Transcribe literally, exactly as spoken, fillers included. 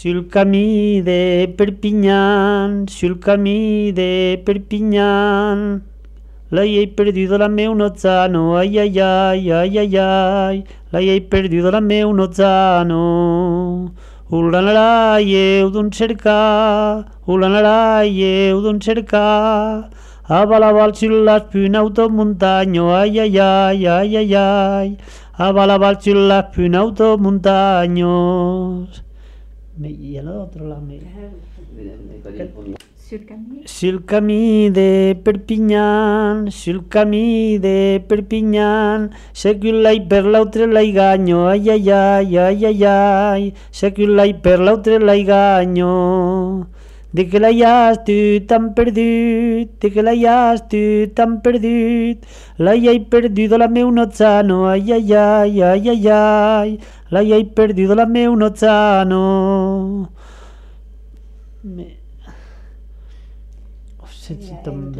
Sul camí de Perpinyán, sul camí de Perpinyán, la he perdido la meu nozzano, ai ai ai, ai ai ai, la he perdido la meu nozzano. Ulanalai, eu d'un cercar, ulanalai, eu d'un cercar, avalaval sul un automontagno, ai ai ai, ai ai ai, avalaval sul un automontagno. Y al otro lado me... Sul camí de Perpinyán, sul camí de Perpinyán, sé que un lai per l'altre lai ganyo, ai ai ai, ai ai ai, sé que un lai per l'altre lai ganyo. De que l'ai has tu tan perdut, de que l'ai has tu tan perdut, l'ai hai perdido la meu nozzano, ai ai ai, ai ai ai, l'ai hai perdido la meu nozzano. Me... Oh, se, se